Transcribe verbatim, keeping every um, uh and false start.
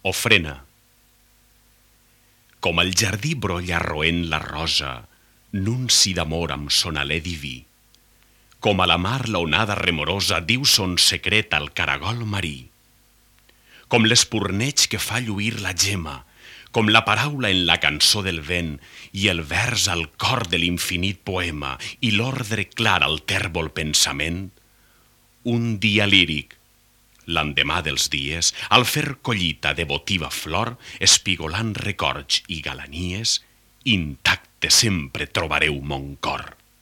Ofrena. Com el jardí brolla roent la rosa, nunci d'amor amb son alè diví. Com a la mar l'onada remorosa diu son secret al caragol marí. Com l'espurneig que fa lluir la gema, com la paraula en la cançó del vent i el vers al cor de l'infinit poema i l'ordre clar al tèrbol pensament, un dia líric, l'endemà dels dies, al fer collita de votiva flor, espigolant records i galanies, intacte sempre trobareu mon cor.